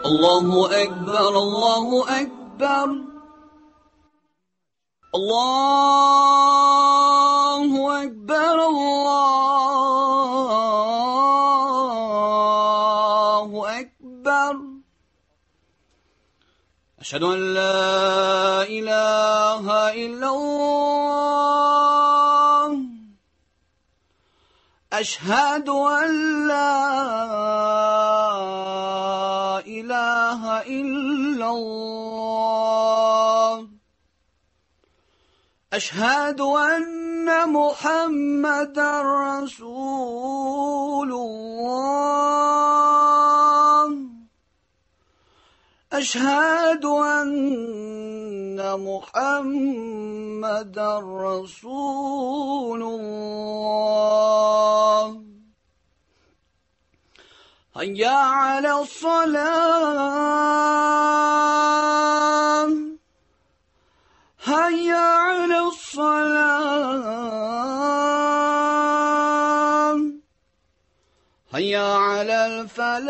الله أكبر الله أكبر الله أكبر الله أكبر أشهد أن لا إله إلا الله أشهد أن لا إله إلا الله أشهد أن محمدا رسول الله أشهد أن محمدا رسول الله هيا على الصلاة هيا على الصلاة هيا على الفلاح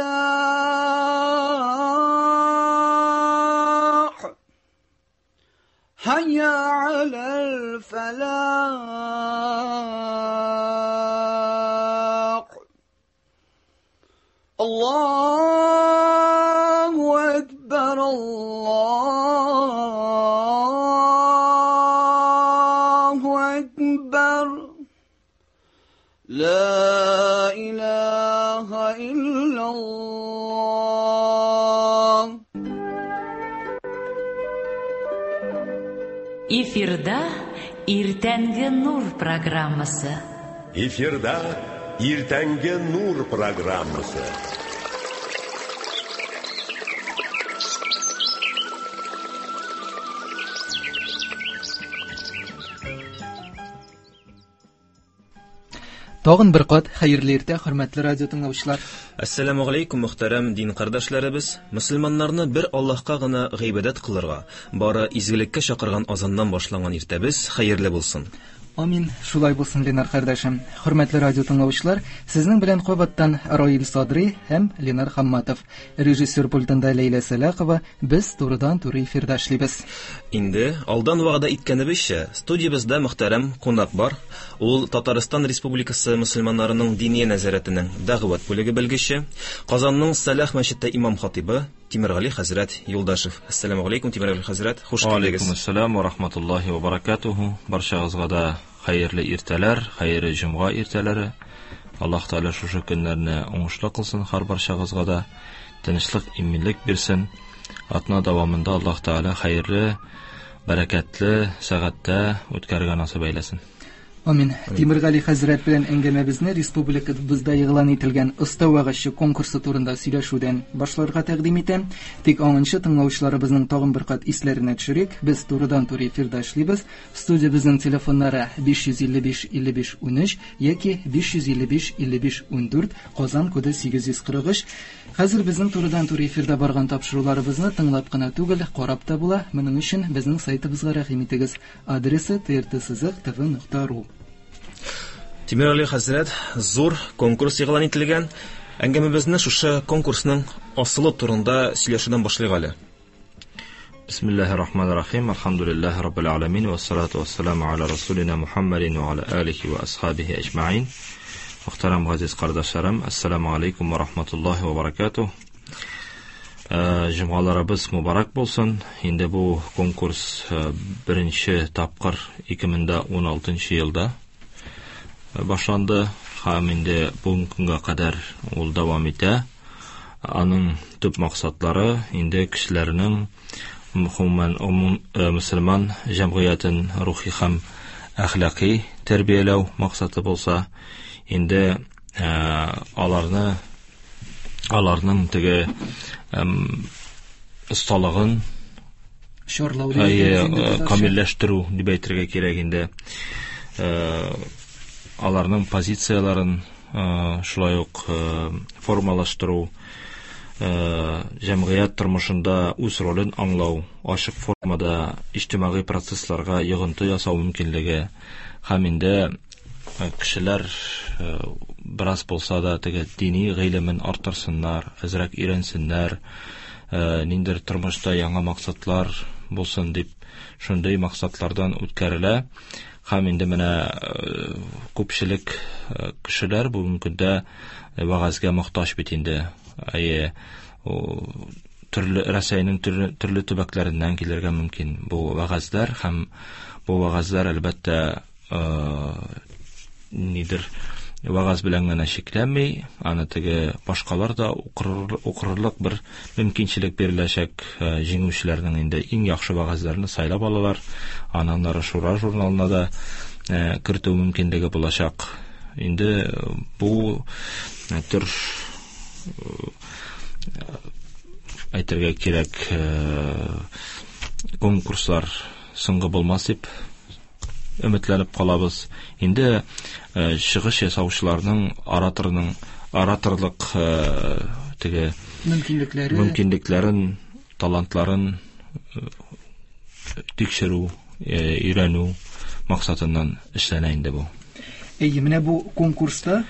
هيا على الفلاح الله أكبر الله أكبر لا إله إلا الله. Эфирда Иртәнге нур программасы. Эфирда Иртәнге нур программасы. Тагын бер кат хәерле иртә, хөрмәтле радио тыңлаучылар. Әссәламү галәйкүм, мөхтәрәм дин кардәшләребез. Мөселманнарны бер Аллаһка гына гыйбадәт кылырга, бары изгелеккә чакырган азаннан башланган иртәбез хәерле булсын. Амин. Шулай булсын, Ленар кардәшем. Хөрмәтле радио тыңлаучылар, сезнең белән кабаттан Раил Садри һәм Ленар Хамматов. Режиссер пультында Ләйлә Сәлахова. Без турыдан-туры эфирда эшлибез. Инде алдан вәгъдә иткәнебезчә, студиябездә мөхтәрәм кунак бар. Ул Татарстан Республикасы мөселманнарының диния нәзарәтенең дәгъват бүлеге белгече, Казанның Сәлах мәчете имам хатибы Тимергали хәзрәт Юлдашев. Ассаламу алейкум, Тимергали хәзрәт, хуш килдегез. Алейкум ассалам ва рахматуллахи ва баракатуху. Барчагызга да хәерле иртәләр, хәерле җомга иртәләре. Аллаһ Тәгалә шушы көннәрне уңышлы кылсын һәр барчагызга да, тынычлык, иминлек бирсен. Атна дәвамында Аллаһ Тәгалә хәерле, бәрәкәтле сәгатьтә үткәрергә насыйп әйләсен. Амин. Тимергали хәзрәт белән әңгәмәбезне республикабызда игълан ителгән Оста вәгазьче конкурсы турында сөйләшүдән башларга тәкъдим итәм. Тик аңынчы тыңлаучыларыбызның тагын бер кат исләренә төшерик. Без турыдан-туры эфирда эшлибез. Студиябезнең телефоннары 555 55 13 яки 555 55 14, Казан коды 843. Хәзер безнең турыдан-туры эфирда барган тапшыруларыбызны тыңлап кына түгел, карап та була. Моның өчен безнең сайтыбызга рәхим итегез. Адресы trt-tv.ru. Тимергали хәзрәт, зур конкурс игълан ителгән. Әңгәмәбезне шушы конкурсның асылы турында сөйләшүдән башлыйк әле. Бисмиллахир рахманир рахим. Алхамдулиллахи раббил аламин вассалату вассаламу аля расулина Мухаммадин ва аля алихи ва асхабихи аҗмаин. Мөхтәрәм газиз кардәшләрем, ассаламу алейкум ва рахматуллахи ва баракатух. Җомгаларыбыз мубарак булсын. Инде бу конкурс беренче тапкыр 2016 елда башланды һәм инде бүгенге көнгә кадәр ул дәвам итә. Аның төп максатлары инде кешеләрнең гомумән мөселман җәмгыятен рухи һәм әхлаки тәрбияләү максаты булса, инде аларны аларның теге осталыгын чарлау дип әйтәбез инде татарча. Камилләштерү дип әйтергә кирәк инде. Аларның позицияләрен шулай ук формалаштыру, җәмгыять тормышында үз ролен аңлау, ачык формада иҗтимагый процессларга йогынты ясау мөмкинлеге һәм инде кешеләр бераз булса да теге дини гыйлемен арттырсыннар, әзрәк өйрәнсеннәр, ниндидер тормышта яңа максатлар булсын дип шундый максатлардан үткәрелә. Һәм инде менә күпчелек кешеләр бүгенге көндә вәгазьгә мохтаҗ бит инде. Әйе, төрле Рәсәйнең төрле төбәкләреннән килергә мөмкин бу вәгазьләр һәм бу вәгазьләр әлбәттә нидер вәгазь белән генә чикләнми, аны теге башкалар да укырлык бер мөмкинчелек биреләчәк. Җиңүчеләрнең инде иң яхшы вәгазьләрне сайлап алалар. Аннан ары Шура журналына да кертү мөмкинлеге булачак. Инде бу төр әйтергә кирәк, конкурслар соңгы булмас дип өметләнеп калабыз. Инде чыгыш ясаучыларның ораторлык теге мөмкинлекләрен, талантларын тикшерү, өйрәнү максатыннан эшләнә инде бу. Әйе, менә бу конкурста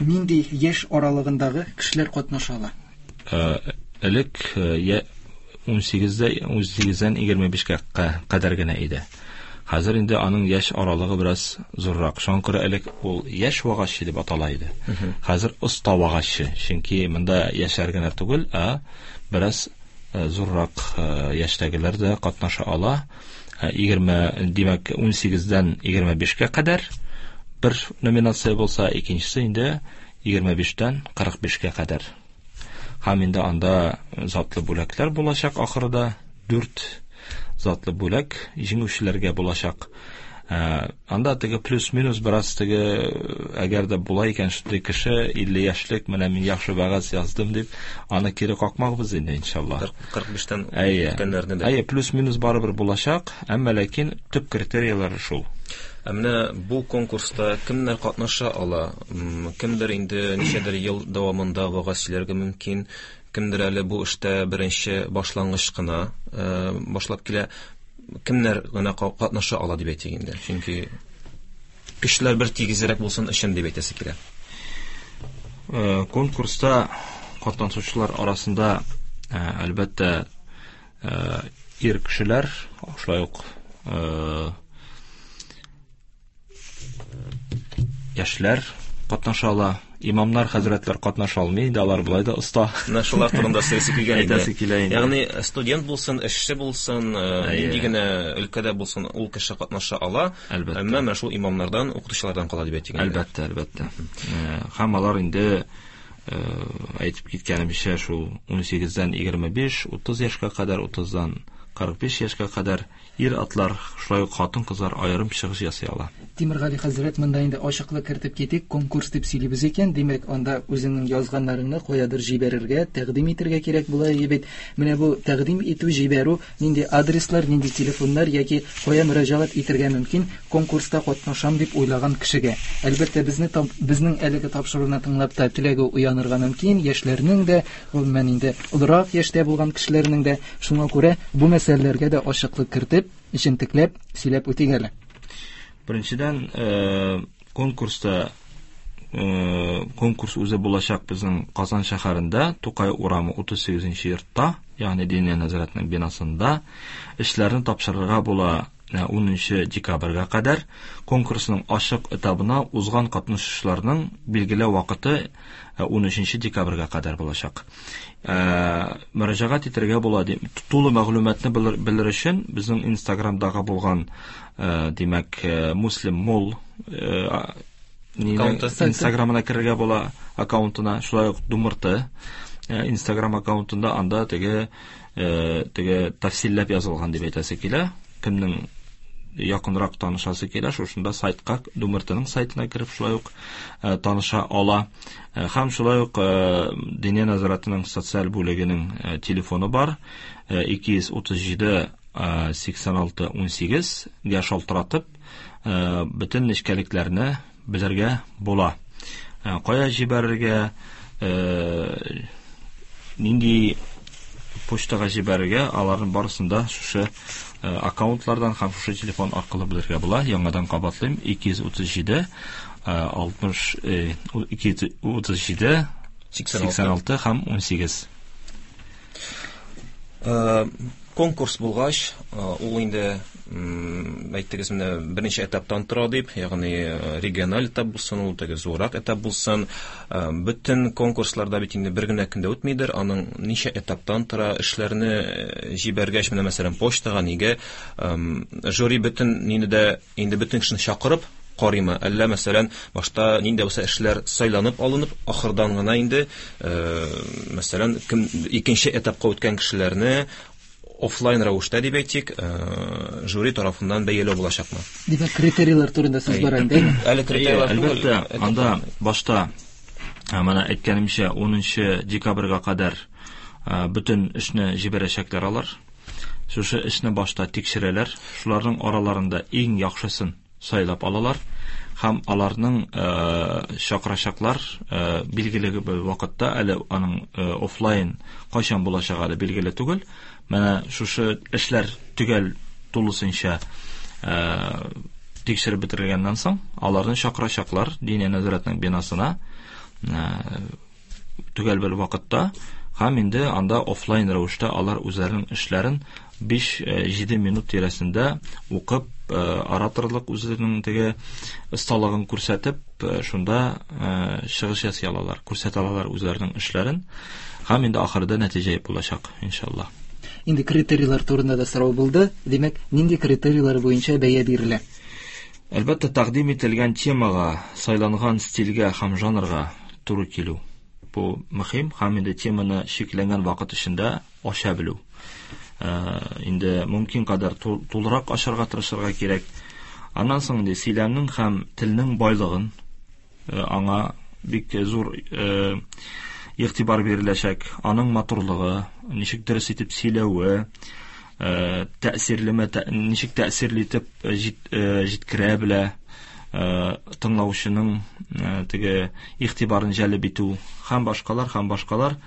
нинди яшь аралыгындагы кешеләр катнаша ала? Элек 18-дән 25-кә кадәр генә иде. Хәзер инде аның яшь аралыгы бераз зуррак. Шуңа күрә элек ул яшь вагазчы дип атала иде. Хәзер оста вагазчы. Чөнки монда яшьләр генә түгел, ә бераз зуррак яшьтәгеләр дә катнаша ала. 20, димәк, 18-дән 25-кә кадәр бер номинация булса, икенчесе инде 25-тән 45-кә кадәр. Һәм инде анда затлы бүләкләр булачак ахырда. 4 затлы бүләк җиңүчеләргә булачак. Анда теге плюс-минус бераз теге, әгәр дә була икән шундый кеше 50 яшьлек, менә мин яхшы вәгазь яздым дип, аны кире какмакбыз инде иншалла. 45-тән үткәннәрне дә. Әйе, плюс-минус барыбер булачак, әмма ләкин төп критерияләре шул. Ә менә бу конкурста кемнәр катнаша ала? Кемдер инде ничәдер ел дәвамында вәгазь сөйләргә мөмкин, кемдер әле бу эштә беренче башлангыч кына башлап килә. Кемнәр генә катнаша ала дип әйтик инде? Чөнки кешеләр бер тигезрәк булсын өчен дип әйтәсе килә. Конкурста катнашучылар арасында, әлбәттә, ир кешеләр, шулай ук яшьләр катнаша ала. Имамнар, хәзрәтләр катнаша алмый, инде алар болай да оста. Менә шулар турында сөйлисе килгән иде. Әйтәсе килә инде. Ягъни студент булсын, эшче булсын, нинди генә өлкәдә булсын, ул кеше катнаша ала. Әлбәттә. Әмма менә шул имамнардан, укытучылардан кала дип әйтик инде. Әлбәттә, әлбәттә. Һәм алар инде әйтеп киткәнемчә, шул 18-дән 25, 30 яшькә кадәр, 30-дан 45 яшькә кадәр ир-атлар, шулай ук хатын-кызлар аерым чыгыш ясый ала. Тимергали хәзрәт, монда инде ачыклык кертеп китик, конкурс дип сөйлибез икән, димәк, анда үзеңнең язганнарыңны каядыр җибәрергә, тәкъдим итәргә кирәк була бит. Менә бу тәкъдим итү, җибәрү, нинди адреслар, нинди телефоннар яки кая мөрәҗәгать итәргә мөмкин конкурста катнашам дип уйлаган кешегә. Әлбәттә, безнең әлеге тапшыруны тыңлап та теләге уянырга мөмкин, яшьләрнең дә, гомумән инде олырак яшьтә булган кешеләрнең дә. Шуңа күрә бу мәсьәләләргә дә ачыклык кертеп, җентекләп сөйләп үтик әле. Беренчедән, конкурста, конкурс үзе булачак безнең Казан шәһәрендә, Тукай урамы 38 йортта, ягъни Диния нәзарәтенең бинасында. Эшләрне тапшырырга була 10 декабрьгә кадәр. Конкурсның ачык этабына узган катнашучыларның билгеле вакыты 13 декабрьгә кадәр булачак. Мөрәҗәгать итәргә була. Тулы мәгълүматны белер өчен безнең Инстаграмдагы булган, димәк, Муслим Мол Инстаграмына керергә була, аккаунтына, шулай ук Думырты Инстаграм аккаунтында, анда теге тәфсилләп язылган дип әйтәсе килә. Кемнең якынрак танышасы килә, шушында сайтка, Думыртының сайтына кереп шулай ук таныша ала. Һәм шулай ук Диния нәзарәтенең социаль бүлегенең телефоны бар. 237 86 18 гә шалтыратып, бөтен нечкәлекләрне белергә була. Кая җибәрергә, нинди почтага җибәрергә, аларның барысын да шушы аккаунтлардан һәм шушы телефон аркылы белергә була. Яңадан кабатлыйм: 237 60 237 86 һәм 18. Конкурс булгач, ул инде әйттегез менә берничә этаптан тора дип, ягъни региональ этап булсын, ул теге зуррак этап булсын. Бөтен конкурсларда бит инде бер генә көндә үтмидер, аның ничә этаптан тора, эшләрне җибәргәч, менә мәсәлән почтага нигә жюри бөтен нине дә инде бөтен кешене чакырып карыймы? Әллә мәсәлән башта нинди булса эшләр сайланып алынып, ахырдан гына инде мәсәлән кем икенче этапка үткән кешеләрне офлайн рәвештә дип әйтик, жюри тарафыннан бәяләү булачакмы? Димәк, критерийлар турында сүз бара инде, әйме? Әле критерийлар түгел. Әлбәттә, анда башта менә әйткәнемчә 10 декабрьгә кадәр бөтен эшне җибәрәчәкләр алар. Шушы эшне башта тикшерәләр. Шуларның араларында иң яхшысын сайлап алалар һәм аларның чакырачаклар билгеле бер вакытта, әле аның офлайн кайчан булачагы әле билгеле түгел. Менә шушы эшләр төгәл тулысынча тикшереп бетерелгәннән соң, аларны чакырачаклар Диния нәзарәтенең бинасына төгәл бер вакытта, һәм инде анда офлайн рәвештә алар үзләренең эшләрен 5-7 минут тирәсендә укып, ораторлык үзләренең теге осталыгын күрсәтеп, шунда чыгыш ясый алалар, күрсәтә алалар үзләренең эшләрен, һәм инде ахырда нәтиҗә булачак, иншалла. Инде критерийлар турында да сорау булды. Димәк, нинди критерийлар буенча бәя бирелә? Әлбәттә, тәкъдим ителгән темага, сайланган стильгә һәм жанрга туры килү. Бу мөһим, һәм инде теманы чикләнгән вакыт эчендә ача белү. Инде мөмкин кадәр тулырак ачарга тырышырга кирәк. Аннан соң инде сөйләмнең һәм телнең байлыгын аңа бик зур игътибар биреләчәк. Аның матурлыгы, ничек дөрес итеп сөйләве, тәэсирлеме, ничек тәэсирле итеп җиткерә белә, тыңлаучының теге игътибарын җәлеп итү һәм башкалар, һәм башкалар,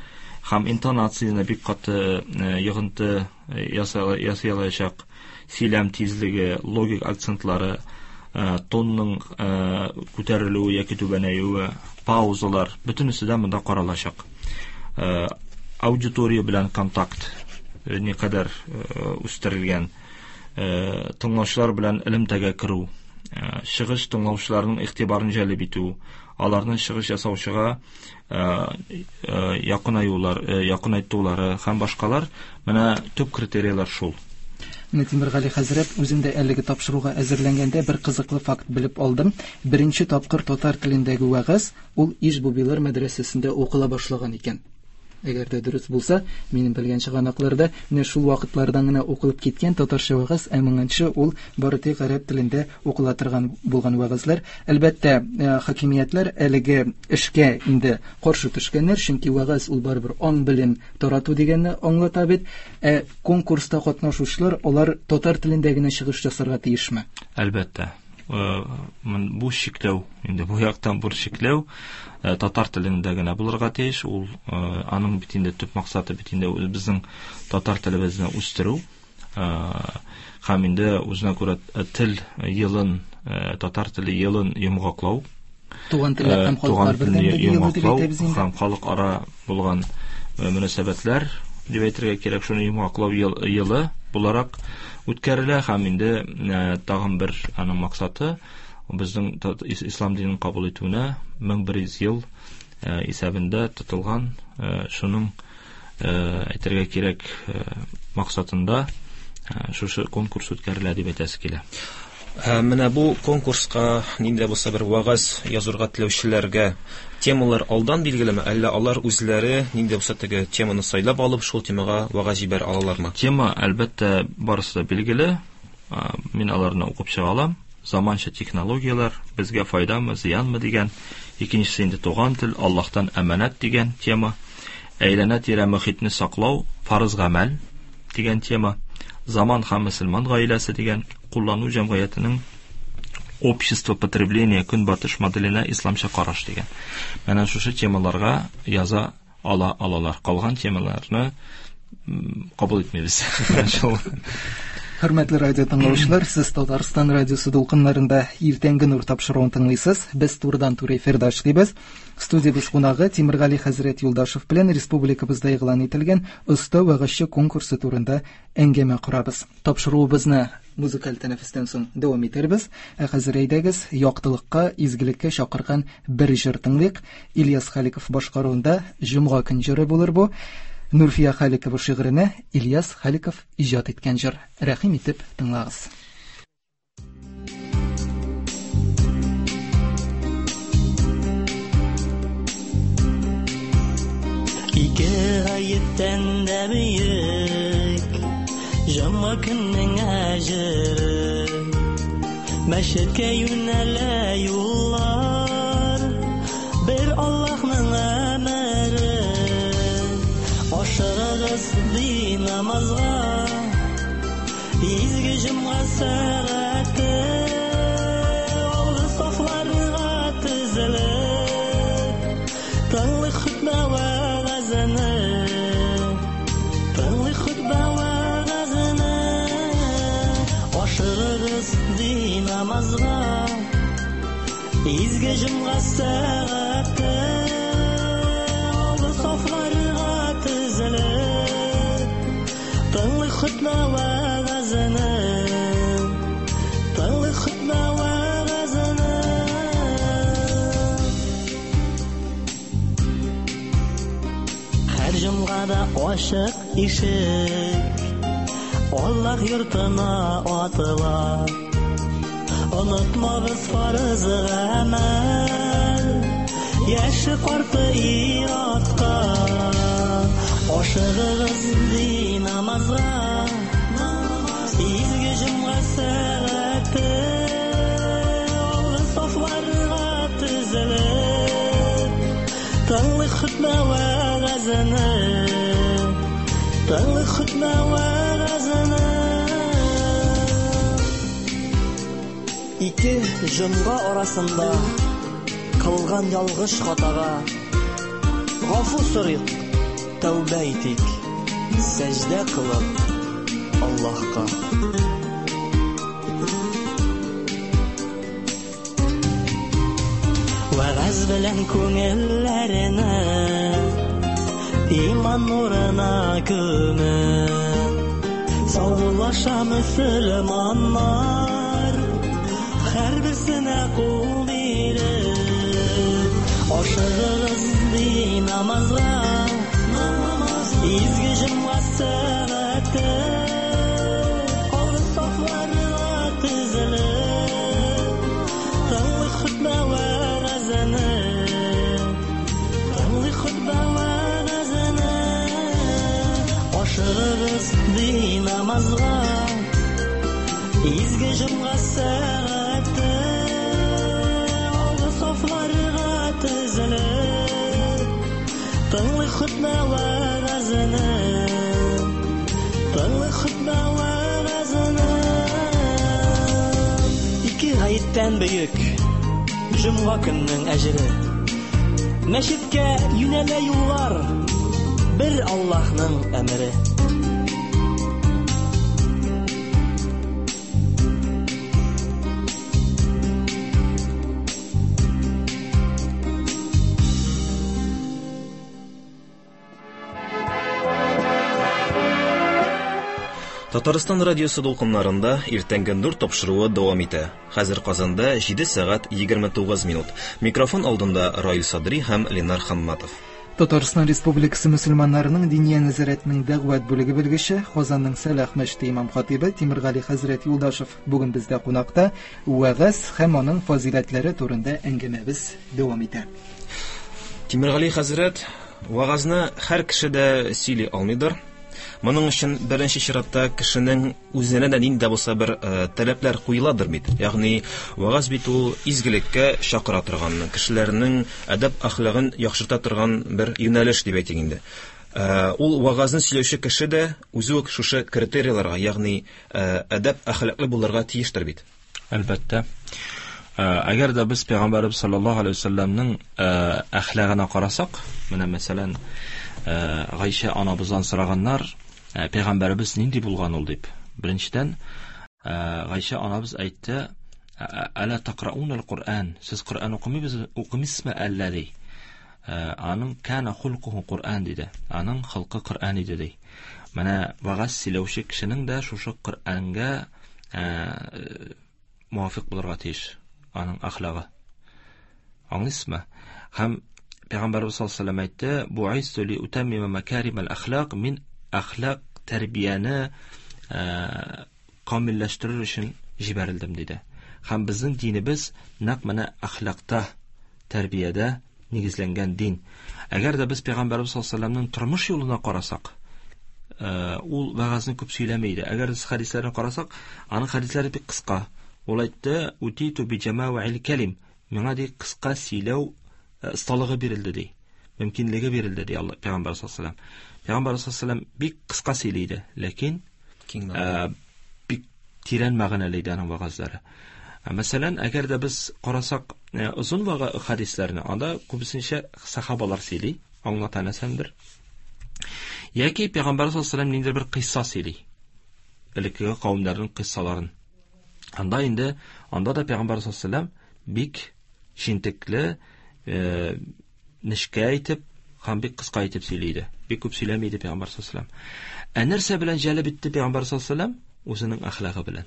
һәм интонацияне бик каты йогынты ясый алачак, сөйләм тизлеге, логик акцентлары, тонның күтәрелүе яки түбәнәюе, паузалар, бөтенесе дә монда каралачак. Аудитория белән контакт никадәр үстерелгән, тыңлаучылар белән элемтәгә керү, чыгыш тыңлаучыларның игътибарын җәлеп итү, аларның чыгыш ясаучыга якынаюлар, якынайтулары һәм башкалар. Менә төп критерийлар шул. Менә Тимергали хәзрәт, үзем дә әлеге тапшыруга әзерләнгәндә бер кызыклы факт белеп алдым. Беренче тапкыр татар телендәге вәгазь ул Иж-Бубилар мәдрәсәсендә укыла башлаган икән. Әгәр дә дөрес булса, минем белгән чыганакларда менә шул вакытлардан гына укылып киткән татарча вәгазь, ә моңынчы ул бары тик гарәп телендә укыла торган булган вәгазьләр. Әлбәттә, хакимиятләр әлеге эшкә инде каршы төшкәннәр, чөнки вәгазь ул барыбер аң-белем тарату дигәнне аңлата бит. Ә конкурста катнашучылар алар татар телендә генә чыгыш ясарга тиешме? Әлбәттә. Бу чикләү, инде бу яктан бу чикләү татар телендә генә булырга тиеш. Ул аның бит инде төп максаты бит инде безнең татар телебезне үстерү, һәм инде үзенә күрә тел елын, татар теле елын йомгаклау. Туган телләр һәм халыклар бердәмлеге елы дип әйтәбез инде. Һәм халыкара булган мөнәсәбәтләр дип әйтергә кирәк, шуны йомгаклау елы буларак үткәрелә. Һәм инде тагын бер аның максаты безнең ислам динен кабул итүенә 1100 ел исәбендә тотылган, шуның әйтергә кирәк максатында шушы конкурс үткәрелә дип әйтәсе килә. Менә бу конкурска нинди дә булса бер вәгазь язырга теләүчеләргә темалар алдан билгелеме, әллә алар үзләре нинди дә булса теге теманы сайлап алып, шул темага вәгазь җибәрә алалармы? Тема, әлбәттә, барысы да билгеле. Мин аларны укып чыга алам. Заманча технологияләр безгә файдамы, зыянмы дигән. Икенчесе инде туган тел, Аллаһтан әманәт дигән тема. Әйләнә-тирә мөхитне саклау, фарыз гамәл дигән тема. Заман һәм мөселман гаиләсе дигән, куллану җәмгыятенең общество потребления көнбатыш моделенә исламча караш дигән. Менә шушы темаларга яза алалар. Калган темаларны кабул итмибез. Шул. Хөрмәтле радио тыңлаучылар, сез Татарстан радиосы дулкыннарында Иртәнге нур тапшыруын тыңлыйсыз. Без турыдан-туры эфирда эшлибез. Студиябез кунагы Тимергали хәзрәт Юлдашев белән республикабызда игълан ителгән Оста вәгазьче конкурсы турында әңгәмә корабыз. Тапшыруыбызны музыкаль тәнәфестән соң дәвам итәрбез. Ә хәзер әйдәгез, яктылыкка, изгелеккә чакырган бер җыр тыңлыйк. Ильяс Халиков башкаруында Җомга көн җыры булыр бу. Нурфия Халикова шигыренә Ильяс Халиков иҗат иткән җыр. Рәхим итеп тыңлагыз. Ике гаеттән дә бөек Җомга көннең әҗере. Мәчеткә юнәлә юллар, бер Аллаһның әмере. Ашыгыгыз ди намазга, изге җомга сәгате. Алгы сафларга тезелеп, тыңлый хөтбә вәгазене. Тыңлый хөтбә вәгазене. Ашыгыгыз ди намазга, изге җомга сәгате. Алгы сафларга тезелеп, тыңлый хөтбә вәгазене. Тыңлый хөтбә вәгазене. Һәр җомгада ачык ишек Аллаһ йортына атыла. Онытмагыз фарыз гамәл, яше карты ир-атка. Ашыгыгыз ди намазга, изге җомга сәгате. Алгы сафларга тезелеп, тыңлый хөтбә вәгазене. Тыңлый хөтбә вәгазене. Ике җомга арасында кылган ялгыш хатага гафу сорыйк, тәүбә итик, сәҗдә кылып Аллаһка. Вәгазь белән күңелләрне иман нурына күмеп, саубуллаша мөселманнар, һәрберсенә кул биреп. Ашыгыгыз ди намазга, изге җомга сәгате. Алгы сафларга тезелеп, тыңлый хөтбә вәгазене. Тыңлый хөтбә вәгазене. Ашыгыгыз ди намазга, изге җомга сәгате. Алгы сафларга тезелеп, тыңлый хөтбә вәгазене. Тыңлый хөтбә вәгазене. Ике гаеттән бөек җомга көннең әҗере. Мәчеткә юнәлә юллар, бер Аллаһның әмере. Татарстан радиосы дулкыннарында Иртәнге нур тапшыруы дәвам итә. Хәзер Казанда 7 сәгать 29 минут. Микрофон алдында Раил Садри һәм Ленар Хамматов. Татарстан Республикасы мөселманнарының Диния нәзарәтенең дәгъват бүлеге белгече, Казанның Сәлах мәчете имам хатибы Тимергали хәзрәт Юлдашев бүген бездә кунакта. Вәгазь һәм аның фазиләтләре турында әңгәмәбез дәвам итә. Тимергали хәзрәт, вәгазьне һәр кеше дә сөйли алмыйдыр. Моның өчен беренче чиратта кешенең үзенә дә нинди дә булса бер таләпләр куеладыр бит. Ягъни вәгазь бит ул изгелеккә чакыра торган, кешеләрнең әдәп әхлагын яхшырта торган бер юнәлеш дип әйтик инде. Ул вәгазьне сөйләүче кеше дә үзе үк шушы критерийларга, ягъни әдәп әхлаклы булырга тиештер бит. Әлбәттә. Әгәр дә без Пәйгамбәрбез саллаллаһу алейһи вәсәлләмнең әхлагына карасак, менә мәсәлән, Гайшә анабыздан сораганнар, Пәйгамбәребез нинди булган ул дип. Беренчедән, Гайшә анабыз әйтте, "Ала тaqra'ун ал-Qur'an?" Сез Коръән укымыйбыз, укымыйсызмы әллә ди. Аның кана хулкуху Коръән диде. Аның холкы Коръән иде ди. Менә вәгазь сөйләүче кешенең дә шушы Коръәнгә муафик булырга тиеш аның әхлагы. Аңлыйсызмы? Һәм Пәйгамбәрбез саллаллаһу алейһи ва сәлләм әйтте: "Бу'исту ли утаммима макарим ал-әхлак", мин әхлак тәрбияне камилләштерер өчен җибәрелдем диде. Һәм безнең динебез нәкъ менә әхлакта, тәрбиядә нигезләнгән дин. Әгәр дә без Пәйгамбәрбез саллаллаһу алейһи ва сәлләмнең тормыш юлына карасак, ул вәгазьне күп сөйләми иде. Әгәр без хәдисләрен карасак, аның хәдисләре бик кыска. Ул әйтте: "Утиту би җама'ил калим". Миңа ди кыска сөйләү осталыгы бирелде ди. Мөмкинлеге бирелде ди Алла Пәйгамбәр саллаллаһу алейһи ва сәлләм. Пәйгамбәр саллаллаһу алейһи ва сәлләм бик кыска сөйли иде, ләкин бик тирән мәгънәле иде аның вәгазьләре. Мәсәлән, әгәр дә без карасак озын хәдисләрне, анда күбесенчә сахабалар сөйли, аңлата нәрсәндер. Яки Пәйгамбәр саллаллаһу алейһи ва сәлләм ниндидер бер кыйсса сөйли. Элеккеге кавемнәрнең кыйссаларын. Анда инде, анда да Пәйгамбәр саллаллаһу алейһи ва сәлләм бик җентекле, нечкә итеп һәм бик кыска итеп сөйли иде. Бик күп сөйләми иде Пәйгамбәр саллаллаһу алейһи ва сәлләм. Ә нәрсә белән җәлеп итте Пәйгамбәр саллаллаһу алейһи ва сәлләм? Үзенең әхлагы белән.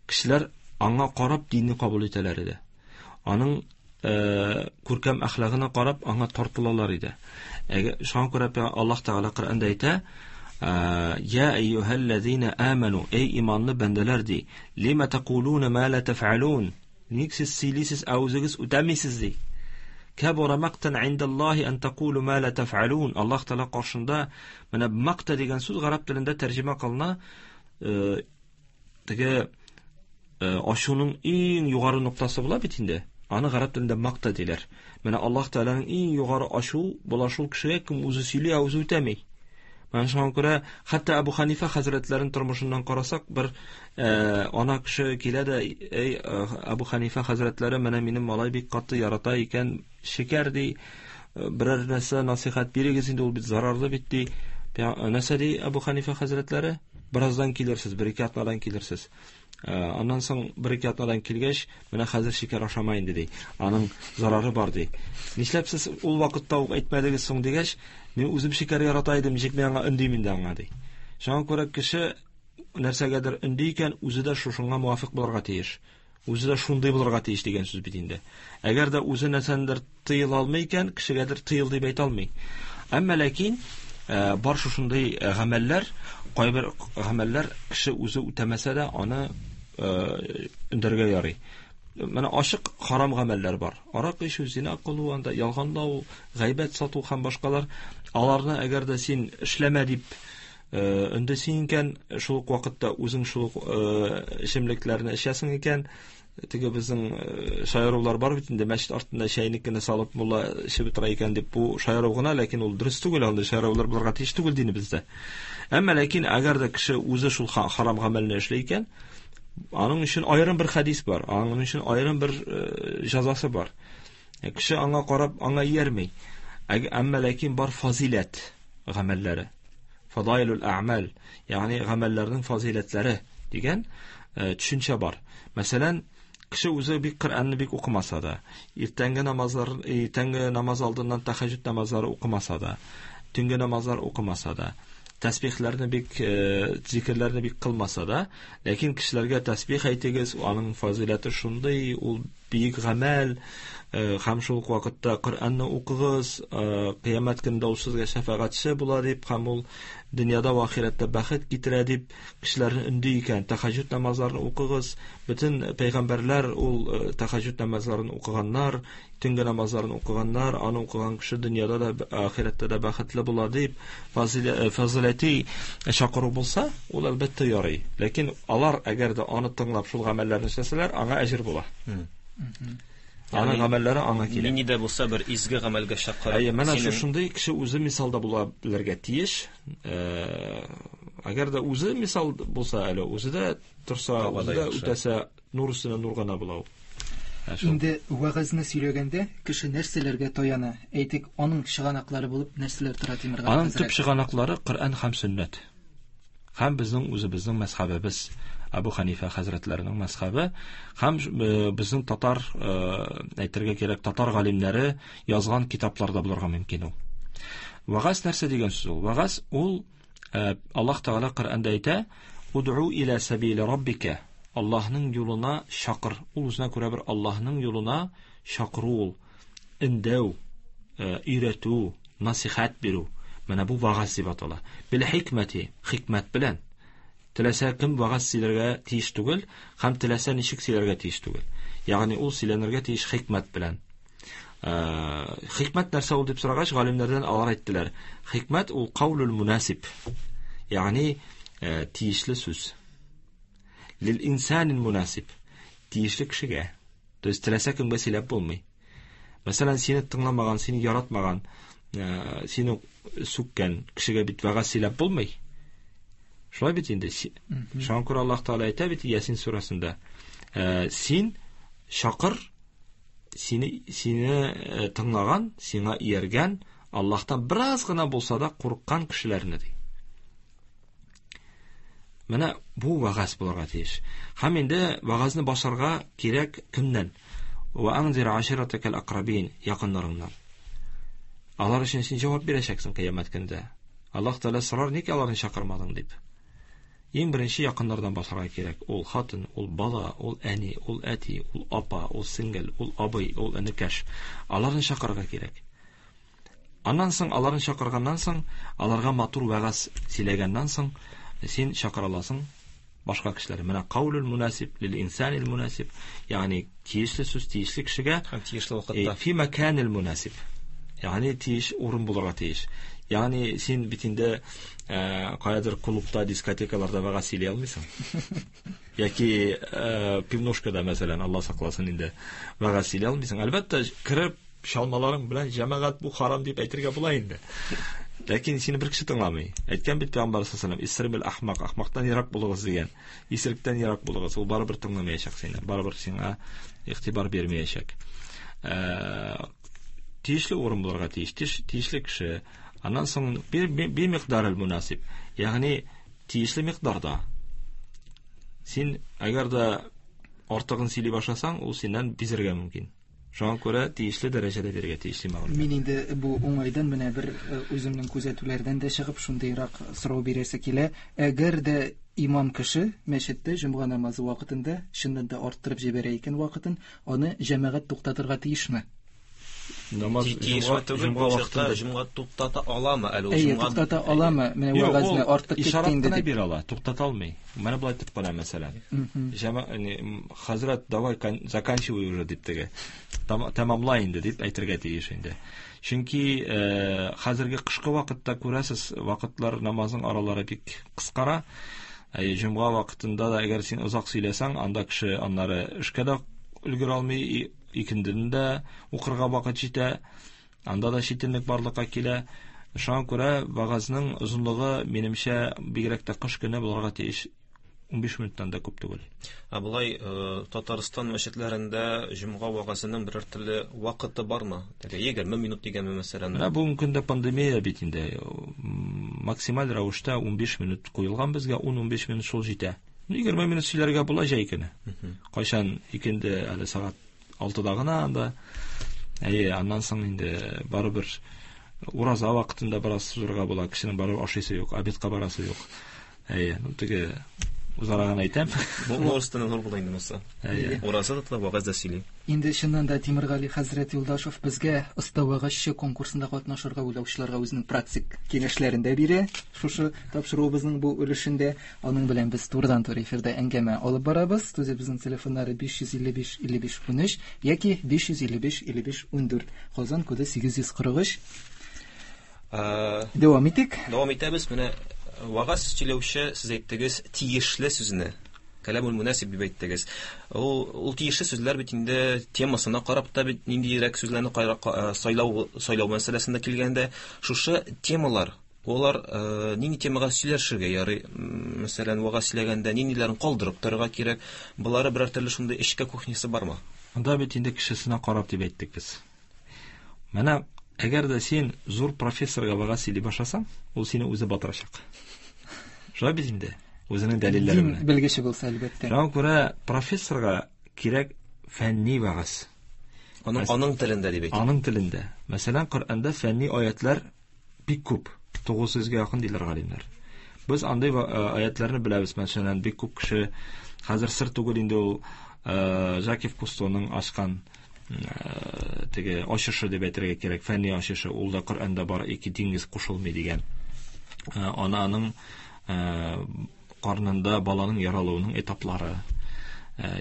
Кешеләр аңа карап динне кабул итәләр иде. Аның күркәм әхлагына карап аңа тартылалар иде. Әгәр шуңа күрә Аллаһ Тәгалә Коръәндә әйтә: "Я әйюһәлләзина аману", эй иманлы бәндәләр ди, "Лима тaquluna ма ла таф'алун?" Ник сез сөйлисез, ә үзегез үтәмисез ди. Кабура мактан индаллаһи ан тaqulu ма ла таф'алун. Аллаһ Тәгалә каршында менә макта дигән сүз гарәп телендә тәрҗемә кылына, теге ачуның иң югары ноктасы була бит инде. Аны гарәп телендә макта диләр. Менә Аллаһ Тәгаләнең иң югары ачу була шул кешегә, кем үзе сөйли, ә үзе үтәми. Менә шуңа күрә хәтта Әбу Ханифа хәзрәтләренең тормышыннан карасак, бер ана кеше килә дә, эй, Әбу Ханифа хәзрәтләре, менә минем малай бик каты ярата икән шикәр ди, берәр нәрсә насыйхат бирегез инде, ул бит зарарлы бит ди. Нәрсә ди Әбу Ханифа хәзрәтләре? Бераздан килерсез, бер-ике атнадан килерсез. Аннан соң бер-ике атнадан килгәч, менә хәзер шикәр ашама инде ди. Аның зарары бар ди. Нишләп сез ул вакытта ук әйтмәдегез соң дигәч, мин үзем шикәр ярата идем, ничек мин аңа өндим инде аңа ди. Шуңа күрә кеше нәрсәгәдер өнди икән, үзе дә шушыңа муафык булырга тиеш. Үзе дә шундый булырга тиеш дигән сүз бит инде. Әгәр дә үзе нәрсәндер тыела алмый икән, кешегәдер тыел дип әйтә алмый. Әмма ләкин бар шушындый гамәлләр, кайбер гамәлләр кеше үзе үтәмәсә дә, аны өндәргә ярый. Менә ачык харам гамәлләр бар. Арак эчү, зина кылу, анда ялганлау, гайбәт сату һәм башкалар. Аларны әгәр дә син эшләмә дип өндәсең икән, шул ук вакытта үзең шул ук эчемлекләрне эчәсең икән, теге безнең шаярулар бар бит инде, мәчет артында чәйнек кенә салып мулла эчеп утыра икән дип, бу шаяру гына, ләкин ул дөрес түгел, андый шаярулар булырга тиеш түгел динебездә. Әмма ләкин әгәр дә кеше үзе шул харам гамәлне эшли икән, аның өчен аерым бер хәдис бар, аның өчен аерым бер җәзасы бар. Кеше аңа карап, аңа иярми. Әмма ләкин бар фазиләт гамәлләре. Фадайлул әгъмәл, ягъни гамәлләрнең фазиләтләре дигән төшенчә бар. Мәсәлән, кеше үзе бик Коръәнне бик укымаса да, иртәнге намазлар, иртәнге намаз алдыннан тәһәҗҗүд намазлары укымаса да, төнге намазлар укымаса да, тәсбихләрне бик, зикерләрне бик кылмаса да, ләкин кешеләргә тәсбих әйтегез, аның фазиләте шундый, ул бөек гамәл, һәм шул ук вакытта Коръәнне укыгыз, кыямәт көнендә ул сезгә шәфәгатьче була дип, һәм ул дөньяда ва ахирәттә бәхет китерә дип кешеләрне өнди икән. Тәһәҗҗүд намазларын укыгыз. Бөтен пәйгамбәрләр ул тәһәҗҗүд намазларын укыганнар, төнге намазларын укыганнар, аны укыган кеше дөньяда да, ахирәттә дә бәхетле була дип фазиләти чакыру булса, ул әлбәттә ярый. Ләкин алар әгәр дә аны тыңлап шул гамәлләрне эшләсәләр, аңа әҗер була. Аның гамәлләре аңа килә. Нинди дә булса бер изге гамәлгә чакырып. Әйе, менә шушындый кеше үзе мисалда була белергә тиеш. Әгәр дә үзе мисал булса әле, үзе дә торса, үзе дә үтәсә, нур өстенә нур гына була ул. Инде вәгазьне сөйләгәндә кеше нәрсәләргә таяна? Әйтик, аның чыганаклары булып нәрсәләр тора, Тимергали Аның төп чыганаклары Коръән һәм сөннәт. Һәм безнең үзебезнең мәзһәбебез, Әбу Ханифа хәзрәтләренең мәзһәбе һәм безнең татар, әйтергә кирәк, татар галимнәре язган китапларда булырга мөмкин ул. Вәгазь нәрсә дигән сүз ул? Вәгазь ул Аллаһ Тәгалә Коръәндә әйтә: "Уд'у иля сабили раббика" Аллаһның юлына чакыр. Ул үзенә күрә бер Аллаһның юлына чакыру ул. Өндәү, өйрәтү, насихәт бирү. Менә бу вәгазь дип атала. Бил хикмәти, хикмәт белән. Теләсә кем вәгазь сөйләргә тиеш түгел, һәм теләсә ничек сөйләргә тиеш түгел. Ягъни ул сөйләнергә тиеш хикмәт белән. Хикмәт нәрсә ул дип сорагач, галимнәрдән алар әйттеләр. Хикмәт ул каулул мунасиб. Ягъни тиешле сүз. Лил инсанил мунасиб. Тиешле кешегә. То есть теләсә кемгә сөйләп булмый. Мәсәлән, сине тыңламаган, сине яратмаган, сине сүккән кешегә бит вәгазь сөйләп булмый. Шулай бит инде. Шуңа күрә Аллаһ Тәгалә әйтә бит Ясин сүрәсендә, син чакыр, сине тыңлаган, сиңа ияргән, Аллаһтан бераз гына булса да курыккан кешеләрне ди. Менә бу вәгазь булырга тиеш. Һәм инде вәгазьне башларга кирәк кемнән? Ва анзир аширатакал акрабин, якыннарыңнан. Алар өчен син җавап бирәчәксең кыямәт көндә. Аллаһ Тәгалә сорар, ник аларны чакырмадың дип. Иң беренче якыннардан башларга кирәк. Ул хатын, ул бала, ул әни, ул әти, ул апа, ул сеңгел, ул абый, ул энекәш. Аларны чакырырга кирәк. Аннан соң, аларны чакырганнан соң, аларга матур вәгазь сөйләгәннән соң, син чакыра аласың башка кешеләрне. Менә каулул мунасиб лил инсанил мунасиб, ягъни тиешле сүз тиешле кешегә һәм тиешле вакытта. Фи маканил мунасиб. Ягъни тиеш урын булырга тиеш. Ягъни син бит инде каядыр клубта, дискотекаларда вәгазь сөйли алмыйсың. Яки пивнушкада, мәсәлән, Алла сакласын инде, вәгазь сөйли алмыйсың. Әлбәттә, кереп чалмаларың белән җәмәгать бу харам дип әйтергә була инде. Ләкин сине бер кеше тыңламый. Әйткән бит Пәйгамбәр саллаллаһу алейһи ва сәлләм, исрибил ахмак, ахмактан ерак булыгыз дигән. Исеректән ерак булыгыз. Ул барыбер тыңламаячак сине, барыбер сиңа игътибар бирмәячәк. Тиешле урын булырга тиеш, тиешле кеше. Аннан соң би микъдарил мунасиб, ягъни тиешле микъдарда. Син әгәр дә артыгын сөйли башласаң, ул синнән бизергә мөмкин. Шуңа күрә тиешле дәрәҗәдә бирергә тиешле мәгълүмат. Мин инде бу уңайдан менә бер үземнең күзәтүләрдән дә чыгып шундыйрак сорау бирәсе килә. Әгәр дә имам кеше мәчеттә җомга намазы вакытында чыннан да арттырып җибәрә икән вакытын, аны җәмәгать туктатырга тиешме? Намаз Тиешме түгел, җомга бу чакта вакытында җомга туктата аламы әле ул? Әйе, Җомга туктата аламы? Менә Юк, вәгазьне ул артык китте ишарат инде кына дип. бирә ала, туктата алмый. Менә болай итеп кына, мәсәлән. Хәзрәт, давай заканчивай уже дип теге. Тәмамла инде дип әйтергә тиеш инде. Чөнки хәзерге кышкы вакытта күрәсез, вакытлар намазның аралары бик кыскара. Җомга вакытында да әгәр син озак сөйләсәң, анда кеше аннары эшкә дә өлгерә алмый, икендене дә укырга вакыт җитә, анда да читенлек барлыкка килә. Шуңа күрә вәгазьнең озынлыгы, минемчә, бигрәк тә кыш көне булырга тиеш. 15 минуттан да күп түгел. Ә болай Татарстан мәчетләрендә җомга вәгазенең берәр төрле вакыты бармы? Теге 20 минут дигәнме, мәсәлән? Менә бүгенге көндә пандемия бит инде. Максималь рәвештә 15 минут куелган безгә, ун-унбиш минут шул җитә. 20 минут сөйләргә була җәй көне. Кайчан икенде әле сәгать алтыда гына анда. Әйе, аннан соң инде барыбер ураза вакытында бераз сузырга була, кешенең барыбер ашыйсы юк, обедка барасы юк. Әйе, теге узара гына әйтәм. Бу нур өстенә нур була инде монысы. Әйе. Ураза да тота, вәгазь дә сөйли. Инде чыннан да Тимергали хәзрәт Юлдашев безгә оста вәгазьче конкурсында катнашырга уйлаучыларга үзенең практик киңәшләрен дә бирә. Шушы тапшыруыбызның бу өлешендә аның белән без турыдан-туры эфирда әңгәмә алып барабыз. Студиябезнең телефоннары биш йөз илле биш илле биш унөч яки биш йөз илле биш илле биш ундүрт. Казан коды сигез йөз кырык өч. Дәвам итик. Дәвам итәбез. Менә вәгазь сөйләүче, сез әйттегез, тиешле сүзне. Кәләмул мунасиб дип әйттегез. Ул тиешле сүзләр бит инде темасына карап та бит ниндирәк сүзләрне сайлау мәсьәләсендә килгәндә, шушы темалар, алар нинди темага сөйләшергә ярый? Мәсәлән, вәгазь сөйләгәндә ниндиләрен калдырып торырга кирәк? Болары берәр төрле шундый эчке кухнясы бармы? Анда бит инде кешесенә карап дип әйттек без. Менә әгәр дә син зур профессорга вәгазь сөйли башласаң, ул сине үзе батырачак. Шулай бит инде. Үзенең дәлилләре Дин белән. белгече булса, әлбәттә. Шуңа күрә профессорга кирәк фәнни вәгазь. Аның телендә дип әйтик. Аның телендә. Мәсәлән, Коръәндә фәнни аятлар бик күп. 900-гә якын диләр галимнәр. Без андый аятларны беләбез. Мәсәлән, бик күп кеше хәзер сер түгел инде ул Жакев Кустоның ачкан теге ачышы дип әйтергә кирәк, фәнни ачышы, ул да Коръәндә бар, ике диңгез кушылмый дигән. Ананың карнында баланың яралуының этаплары,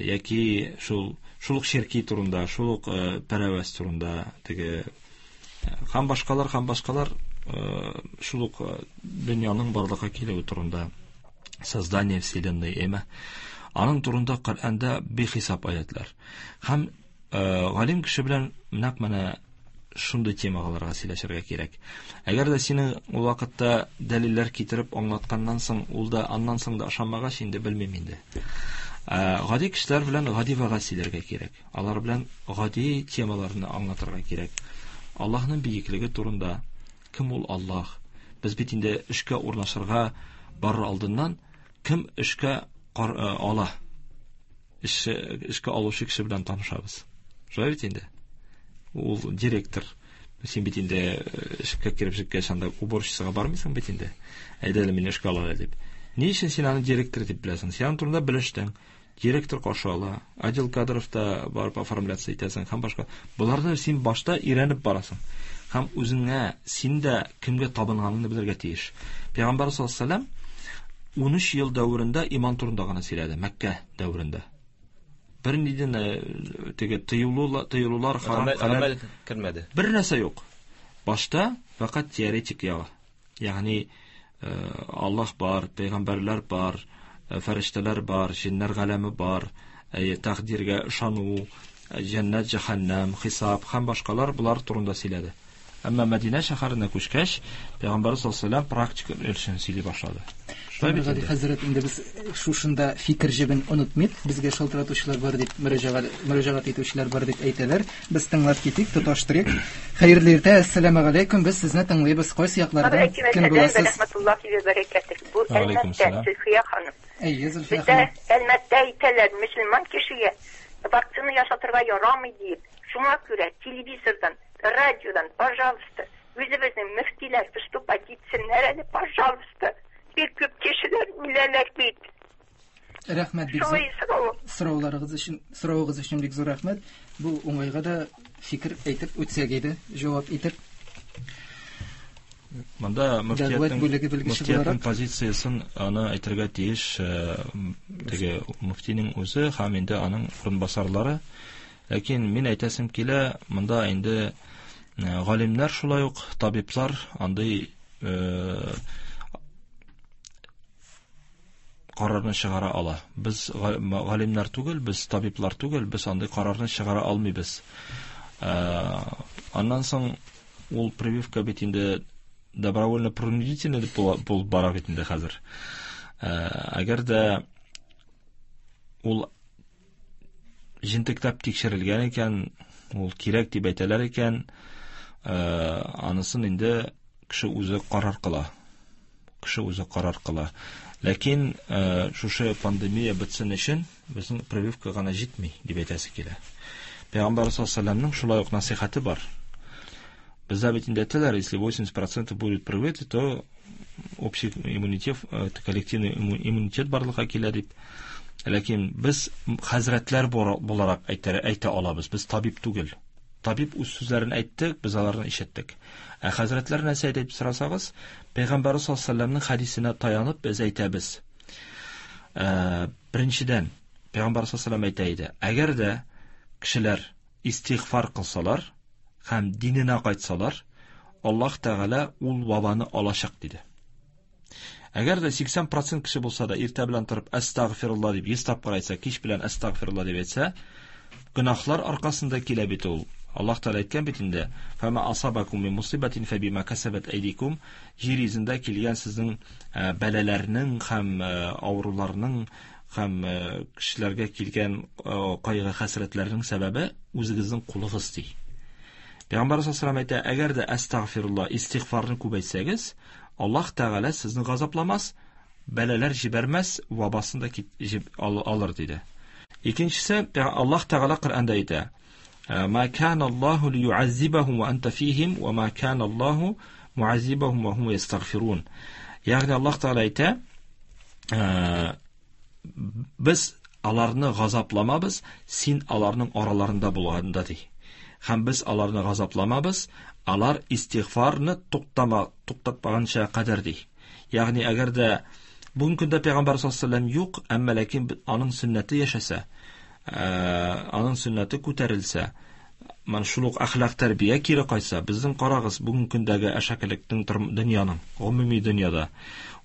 яки шул ук черки турында, шул ук пәрәвәз турында, теге һәм башкалар, һәм башкалар, шул ук дөньяның барлыкка килүе турында, создание вселенной, әмма аның турында Коръәндә бихисап аятлар. Һәм галим кеше белән нәкъ менә шундый темаларга сөйләшергә кирәк. Әгәр дә синең ул вакытта дәлилләр китереп аңлатканнан соң, ул да аннан соң да ышанмагач, инде белмим инде. Гади кешеләр белән гади вәгазь сөйләргә кирәк. Алар белән гади темаларны аңлатырга кирәк. Аллаһның бөеклеге турында, кем ул Аллаһ? Без бит инде эшкә урнашырга барыр алдыннан кем эшкә ала? Эшкә алучы кеше белән танышабыз. Шулай бит инде. Ул директор. Син бит инде эшкә кереп җиткәч, анда уборщицага бармыйсың бит инде. Әйдә әле мине эшкә алалар дип. Ни өчен син аны директор дип беләсең? Син аның турында белештең. Директор каршы ала, отдел кадровта барып оформляться итәсең һәм башка. Боларны син башта өйрәнеп барасың. Һәм үзеңә, син дә кемгә табынганыңны белергә тиеш. Пәйгамбәр саллаллаһу алейһи ва сәлләм 13 ел дәверендә иман турында гына сөйләде, Мәккә дәверендә. Бер нидән теге тыюлар, харам, Гамәл кермәде. Бер нәрсә юк. Башта фақат теоретик ягы. Ягъни Аллаһ бар, пәйгамбәрләр бар, фәрештәләр бар, җиннәр галәме бар, тәкъдиргә ышану, җәннәт, җәһәннәм, хисап һәм башкалар булар турында сөйләде. Әмма Мәдинә шәһәренә күчкәч, Пәйгамбәр саллаллаһу алейһи ва сәлләм практика өлешен сөйли башлады. Шулай бит Гали инде. хәзрәт, инде без шушында фикер җебен онытмыйк, безгә шалтыратучылар бар дип мөрәҗәгать итүчеләр бар дип әйтәләр. Без тыңлап китик, тоташтырыйк. Хәерле иртә, әссәламу алейкум. Без сезне тыңлыйбыз. Кайсы яклардан кем буласыз? Рәхмәтуллаһи ва бәрәкәтүһ. Бу Алейкум Әлмәттә сәлам. Зөлфия ханым. Әйе, Зөлфия Бездә ханым. Әлмәттә әйтәләр, мөселман кешегә вакцина ясатырга ярамый дип. Шуңа күрә телевизордан, радиодан, пожалуйста, үзебезнең мөфтиләр выступать итсеннәр әле, пожалуйста. Бик күп кешеләр үләләр бит. Рәхмәт бик зур. Шулай сорау. Сорауларыгыз өчен, соравыгыз өчен бик зур рәхмәт. Бу уңайга да фикер әйтеп үтсәк иде, җавап итеп. Монда Дәгъват бүлеге белгече мөфтиятнең буларак. позициясен аны әйтергә тиеш, теге мөфтинең үзе һәм инде аның урынбасарлары. Ләкин мин әйтәсем килә, монда инде галимнәр шулай ук, табиблар андый карарны чыгара ала. Без галимнәр түгел, без табиблар түгел, без андый карарны чыгара алмыйбыз. Аннан соң ул прививка бит инде добровольно принудительный дип булып бара бит инде хәзер. Әгәр дә ул җентекләп тикшерелгән икән, ул кирәк дип әйтәләр икән, анысын инде кеше үзе карар кыла. Кеше үзе карар кыла. Ләкин шушы пандемия бетсен өчен безнең прививка гына җитми дип әйтәсе килә. Пәйгамбәр саллаллаһу алейһи ва сәлләмнең шулай ук насыйхаты бар. Бездә бит инде әйтәләр, если 80% будет привиты, то общий иммунитет, коллективный иммунитет барлыкка килә дип. Ләкин без хәзрәтләр буларак әйтә алабыз, без табиб түгел. Табиб үз сүзләрен әйтте, без аларны ишеттек. Ә хәзрәтләр нәрсә әйтә дип сорасагыз, Пәйгамбәр саллаллаһу алейһи ва сәлләмнең хәдисенә таянып без әйтәбез. Беренчедән, Пәйгамбәр саллаллаһу алейһи ва сәлләм әйтә иде, әгәр дә кешеләр истигъфар кылсалар һәм диненә кайтсалар, Аллаһ Тәгалә ул вабаны алачак диде. Әгәр дә 80% кеше булса да иртә белән торып әстәгъфирулла дип 100 тапкыр әйтсә, кич белән әстәгъфирулла дип әйтсә, гөнаһлар аркасында килә бит ул. Аллаһ Тәгалә әйткән бит инде, Фама асабакум мин мусибатин фабима касабат айдикум, җир йөзендә килгән сезнең бәлаләрнең һәм авыруларның һәм кешеләргә килгән кайгы хәсрәтләрнең сәбәбе үзегезнең кулыгыз ди. Пәйгамбәр саллаллаһу алейһи ва сәлләм әйтә, әгәр дә әстәгъфирулла, истигъфарны күбәйтсәгез, Аллаһ Тәгалә сезне газапламас, бәлаләр җибәрмәс, вабасын да алыр диде. Икенчесе, Аллаһ Тәгалә Коръәндә әйтә: "Ма кана Аллаһу лиюаззибахум ва анта фихим, ва ма кана Аллаһу муаззибахум ва хум ястагфирун". Ягъни Аллаһ Тәгалә әйтә: без аларны газапламабыз, син аларның араларында булганда ди. Һәм без аларны газапламабыз, алар истигъфарны туктатмаганча кадәр ди. Ягъни әгәр дә бүгенге көндә Пәйгамбәр саллаллаһу алейһи ва сәлләм юк, әмма ләкин аның сөннәте яшәсә, аның сөннәте күтәрелсә, менә шул ук әхлак тәрбия кире кайтса, безнең карагыз бүгенге көндәге әшәкелекнең дөньяның, гомуми дөньяда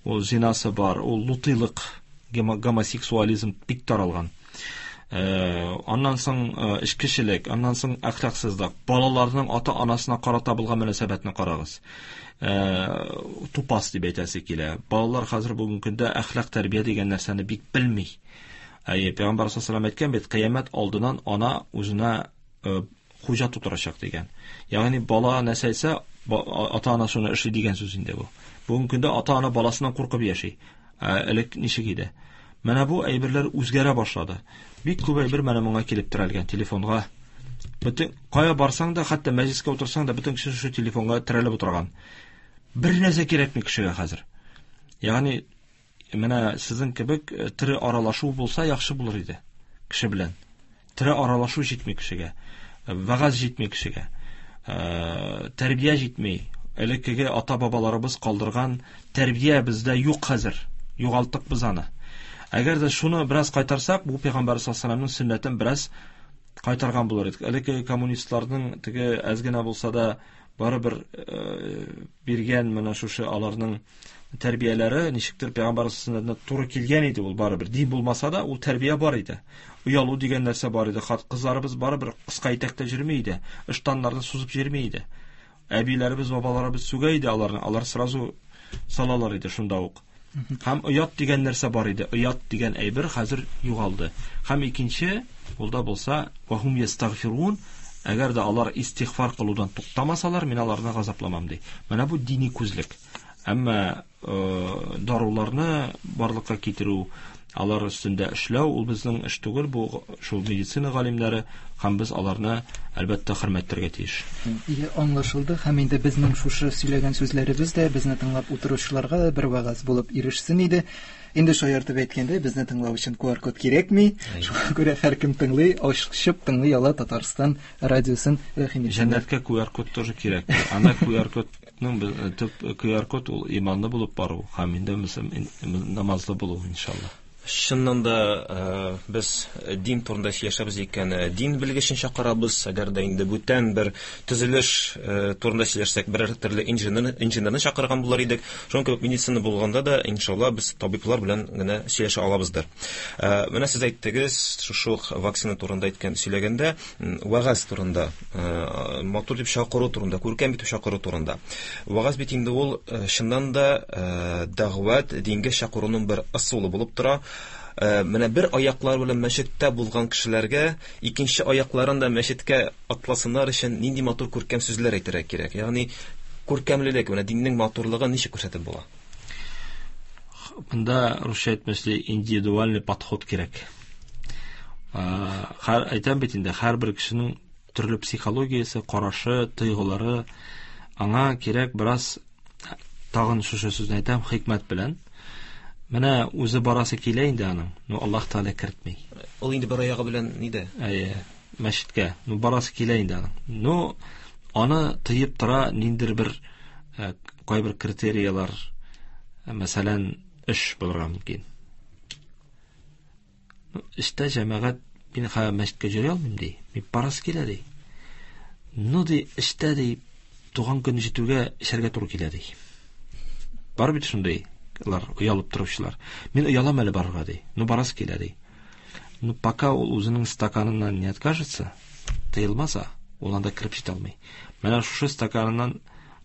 ул зинасы бар, ул лутыйлык, гомосексуализм бик таралган. Аннан соң эчкечелек, аннан соң әхлаксызлык, балаларның ата-анасына карата булган мөнәсәбәтне карагыз. Тупас дип әйтәсе килә. Балалар хәзер бүгенге көндә әхлак тәрбия дигән нәрсәне бик белми. Әйе, Пәйгамбәр саллаллаһу алейһи ва сәлләм әйткән бит, кыямәт алдыннан ана үзенә хуҗа тутырачак дигән. Ягъни бала нәрсә әйтсә, ата-ана шуны эшли дигән сүз инде бу. Бүгенге көндә ата-ана баласыннан куркып яши. Элек ничек иде? Менә бу әйберләр үзгәрә башлады. Бик күп әйбер менә моңа килеп терәлгән, телефонга. Бөтен кая барсаң да, хәтта мәҗлескә утырсаң да, бөтен кеше шушы телефонга терәлеп утырган. Бер нәрсә кирәкми кешегә хәзер. Ягъни менә сезнең кебек тере аралашу булса яхшы булыр иде кеше белән. Тере аралашу җитми кешегә, вәгазь җитми кешегә, тәрбия җитми. Элеккеге ата-бабаларыбыз калдырган тәрбия бездә юк хәзер. Югалттык без аны. Әгәр дә шуны бераз кайтарсак, бу Пәйгамбәр саллаллаһу алейһи ва сәлләмнең сөннәтен бераз кайтарган булыр идек. Элеккеге коммунистларның теге әз генә булса да барыбер биргән менә шушы аларның тәрбияләре ничектер Пәйгамбәр сөннәтенә туры килгән иде ул барыбер. Дин булмаса да ул тәрбия бар иде. Оялу дигән нәрсә бар иде. Хат кызларыбыз барыбер кыска итәктә йөрми иде. Ыштаннарны сузып йөрми иде. Әбиләребез, бабаларыбыз сүгә иде аларны. Алар сразу салалар иде шунда ук. Һәм оят дигән нәрсә бар иде. Оят дигән әйбер хәзер югалды. Һәм икенче, ул да булса, вахум ястагфирун, әгәр дә алар истигъфар кылудан туктамасалар, мин аларны газапламам ди. Менә бу дини күзлек. Әмма даруларны барлыкка китерү, алар өстендә эшләү, ул безнең эш түгел, бу шул медицина галимнәре, һәм без аларны әлбәттә хөрмәт итәргә тиеш. Ие, аңлашылды. Һәм инде безнең шушы сөйләгән сүзләребез дә безне тыңлап утыручыларга да бер вәгазь булып ирешсен иде. Инде шаяртып әйткәндә, безне тыңлау өчен QR-код кирәкми. Шуңа күрә һәркем тыңлый, ачып тыңлый ала Татарстан радиосын. Рәхим итсеннәр. Җәннәткә QR-код тоже кирәк. Анда QR-кодның төп QR-код ул иманлы булып бару һәм инде намазлы булу, иншалла. Чыннан да без дин турында сөйләшәбез икән, дин белгечен чакырабыз. Әгәр дә инде бүтән бер төзелеш турында сөйләшсәк, берәр төрле инженерны чакырган булыр идек. Шуның кебек медицина булганда да, иншалла, без табиблар белән генә сөйләшә алабыздыр. Менә сез әйттегез, шушы ук вакцина турында әйткән, сөйләгәндә, вәгазь турында, матур дип чакыру турында, күркәм итеп чакыру турында. Вәгазь бит инде ул чыннан да дәгъват, дингә чакыруның бер ысулы булып тора. Менә бер аяклар белән мәчеттә булган кешеләргә икенче аякларын да мәчеткә атласыннар өчен нинди матур күркәм сүзләр әйтергә кирәк. Ягъни күркәмлелек, менә диннең матурлыгын ничек күрсәтеп була? Монда русча әйтмешли индивидуальный подход кирәк. Әйтәм бит инде, һәрбер кешенең төрле психологиясе, карашы, тойгылары, аңа кирәк бераз, тагын шушы сүзне әйтәм, хикмәт белән. Менә үзе барасы килә инде аның, но Аллаһ Тәгалә кертми. Ул инде бер аягы белән нидә? Әйе, мәчеткә. Ну барасы килә инде аның. Но аны тыеп тора ниндидер бер кайбер критериялар, мәсәлән, эш булырга мөмкин. Ну, эштә җәмәгать мин хәзер мәчеткә йөри алмыйм ди. Мин барасы килә ди. Ну ди, эштә ди, туган көн җитүгә эчәргә туры килә ди. Бар бит шундый лар, оялып торучылар. Мин оялам әле барырга ди. Ну барасы килә ди. Ну пока ул үзенең стаканыннан не откажется, тыелмаса, ул анда кереп җитә алмый. Менә шушы стаканыннан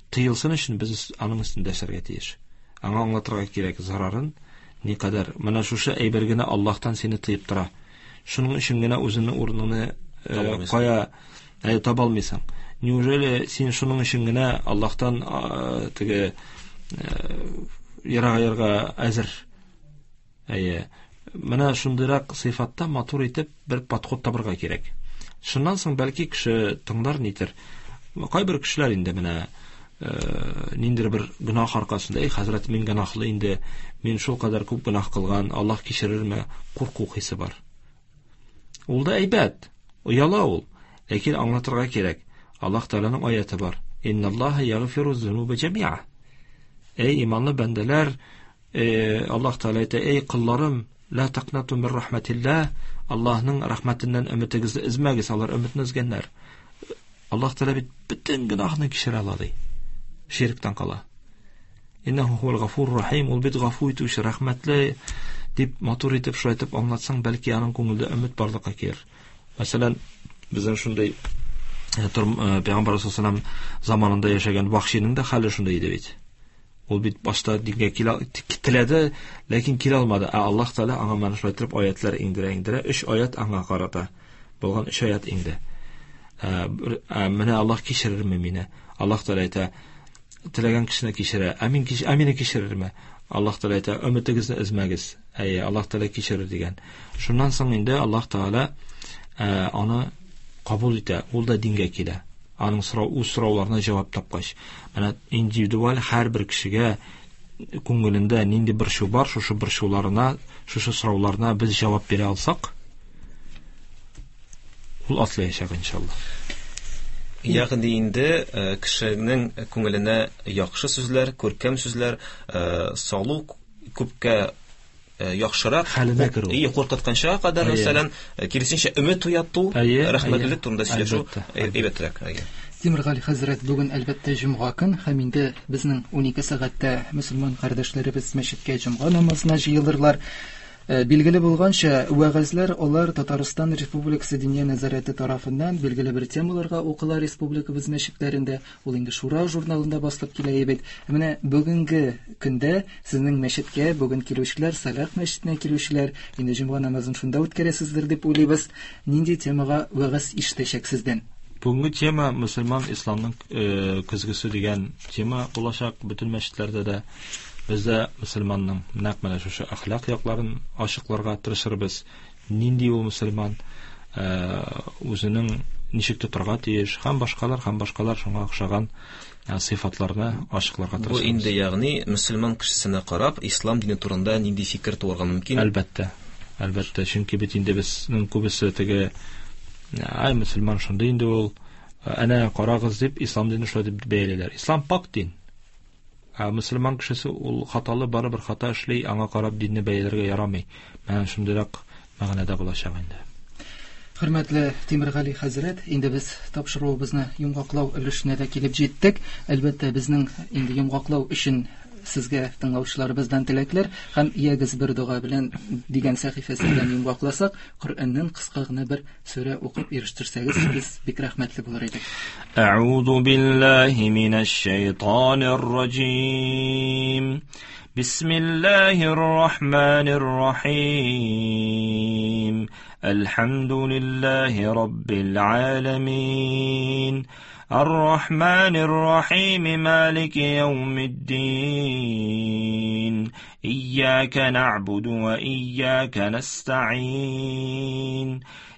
тыелсын өчен без аның өстендә эшләргә тиеш. Аңа аңлатырга кирәк зарарын, никадәр. Менә шушы әйбер генә Аллаһтан сине тыеп тора. Шуның өчен генә үзеңнең урыныңны Таба алмыйсың. кая таба алмыйсың. Неужели син шуның өчен генә Аллаһтан теге ерагайырга әзер? Әйе. Менә шундыйрак сыйфатта матур итеп бер подход табырга кирәк. Шуннан соң бәлки кеше тыңлар нитер. Кайбер кешеләр инде менә ниндидер бер гөнаһ аркасында, эй, хәзрәт, мин гөнаһлы инде, мин шул кадәр күп гөнаһ кылган, Аллаһ кичерерме? Курку хисе бар. Ул да әйбәт, ояла ул. Ләкин аңлатырга кирәк. Аллаһ Тәгаләнең аяты бар. Инналлаһа ягъфиру зунуба җәмиа. Эй, иманлы бәндәләр, Аллаһ Тәгалә әйтә, эй колларым, ла тaqнату мин рахматилlah, Аллаһның рәхмәтеннән өметегезне өзмәгез, алар өметне өзгәннәр. Аллаһ Тәгалә бит бөтен гөнаһны кичерә ала ди. Ширктән кала. Иннәһу хуал гафур рахим, ул бит гафу итүче, рәхмәтле дип матур итеп шулай итеп аңлатсаң, бәлки аның күңелендә өмет барлыкка килер. Мәсәлән, безнең шундый Пәйгамбәр саллаллаһу заманында яшәгән Вахшиның да хәле шундый иде бит. Ул бит башта дингә килә теләде, ләкин килә алмады. Ә Аллаһ Тәгалә аңа менә шулай итеп аятлар иңдерә-иңдерә, өч аят аңа карата булган өч аят иңде. Менә Аллаһ кичерерме мине? Аллаһ Тәгалә әйтә, теләгән кешене кичерә. Ә мин ә мине кичерерме? Аллаһ Тәгалә әйтә, өметегезне өзмәгез. Әйе, Аллаһ Тәгалә кичерер дигән. Шуннан соң инде Аллаһ Тәгалә аны кабул итә, ул да дингә килә. Аның сорау, үз сорауларына җавап тапкач. Менә индивидуаль һәрбер кешегә күңелендә нинди борчу бар, шушы борчуларына, шушы сорауларына без җавап бирә алсак, ул атлаячак иншалла. Ягъни инде кешенең күңеленә яхшы сүзләр, күркәм сүзләр салу күпкә яхшырак хәленә керү. И куркытканча кадәр, мәсәлән, киресенчә өмет уяту, рәхмәтлелек турында сөйләшү әйбәтрәк. Тимергали хәзрәт, бүген әлбәттә җомга көн, һәм инде безнең 12 сәгатьтә мөселман кардәшләребез мәчеткә җомга намазына җыелырлар. Билгеле булганча, вәгазьләр алар Татарстан Республикасы Диния нәзарәте тарафыннан билгеле бер темаларга укыла республикабыз мәчетләрендә. Ул инде Шура журналында басылып килә бит. Менә бүгенге көндә сезнең мәчеткә бүген килүчеләр, Салах мәчетенә килүчеләр, инде җомга намазын шунда үткәрәсездер дип уйлыйбыз. Нинди темага вәгазь ишетәчәк сездән? Бүгенге тема мөселман исламның көзгесе дигән тема булачак бөтен мәчетләрдә дә. Без дә мөселманның нәкъ менә шушы әхлак якларын ачыкларга тырышырбыз. Нинди ул мөселман, үзенең ничек тотарга тиеш һәм башкалар, һәм башкалар шуңа охшаган сыйфатларны ачыкларга тырышырбыз. Бу инде ягъни мөселман кешесенә карап, ислам дине турында нинди фикер туарга мөмкин? Әлбәттә. Әлбәттә, чөнки бит инде безнең күбесе теге ай мөселман шундый инде ул, әнә карагыз дип ислам динен шулай дип бәялиләр. Ислам пак дин. Ә мөселман кешесе ул хаталы, барыбер хата эшли, аңа карап динне бәяләргә ярамый. Менә шундыйрак мәгънәдә булачак инде. Хөрмәтле Тимергали хәзрәт, инде без тапшыруыбызны йомгаклау өлешенә дә килеп җиттек. Әлбәттә, безнең инде йомгаклау өчен сезгә тыңлаучыларыбыздан теләкләр һәм ягез бер дога белән дигән сәхифәсе белән йомгакласак, Коръәннән кыска гына бер сүрә укып ирештерсәгез, без бик рәхмәтле булыр идек. Әгъузу биллаһи минәш шайтанир раҗим. Бисмиллаһир рахманир рахим. Әлхәмдүлиллаһи раббил аламин. Ар-Рахманир Рахим, Малики яумиддин. Ияка нa'буду ва ияка nasta'in.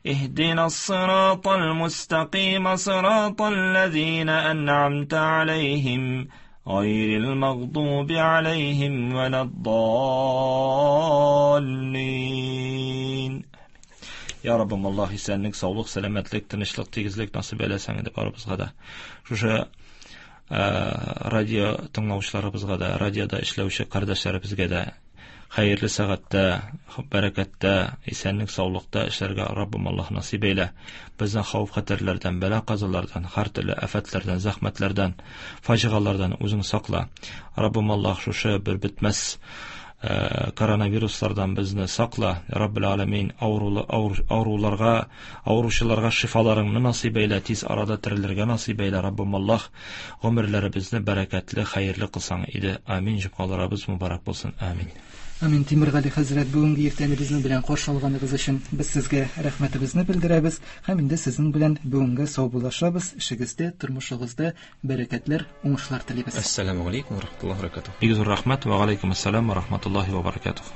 اهدنا الصراط المستقيم صراط الذين أنعمت عليهم غير المغضوب عليهم ولا الضالين. Ya Rabbim, Allah исәнлек, саулык, сәламәтлек, тынычлык, тигезлек насыйп әйләсәң иде барыбызга да. Шушы радио тыңлаучыларыбызга да, радиода эшләүче кардәшләребезгә дә хәерле сәгатьтә, бәрәкәттә, исәнлек, саулыкта эшләргә Раббым Аллаһ насыйп әйлә. Безне хәвеф-хәтәрләрдән, бәла-казалардан, һәр төрле афәтләрдән, зәхмәтләрдән, фаҗигалардан үзең сакла. Раббым Аллаһ шушы бер бетмәс коронавируслардан безне сакла. Раббил аламин, авыруларга, авыручыларга шифаларыңны насыйп әйлә, тиз арада терелергә насыйп әйлә. Раббым Аллаһ, гомерләребезне бәрәкәтле, хәерле кылсаң иде. Амин. Җомгаларыбыз мөбарәк булсын. Амин. Амин. Тимергали хәзрәт, бүгенге иртәне безнең белән каршы алганыгыз өчен без сезгә рәхмәтебезне белдерәбез һәм инде сезнең белән бүгенге саубуллашабыз. Эшегездә, тормышыгызда бәрәкәтләр, уңышлар телибез. Ассаламу алейкум ва рахматуллахи ва баракатух. Бик зур рәхмәт. Ва алейкум ассалам ва рахматуллахи ва баракатух.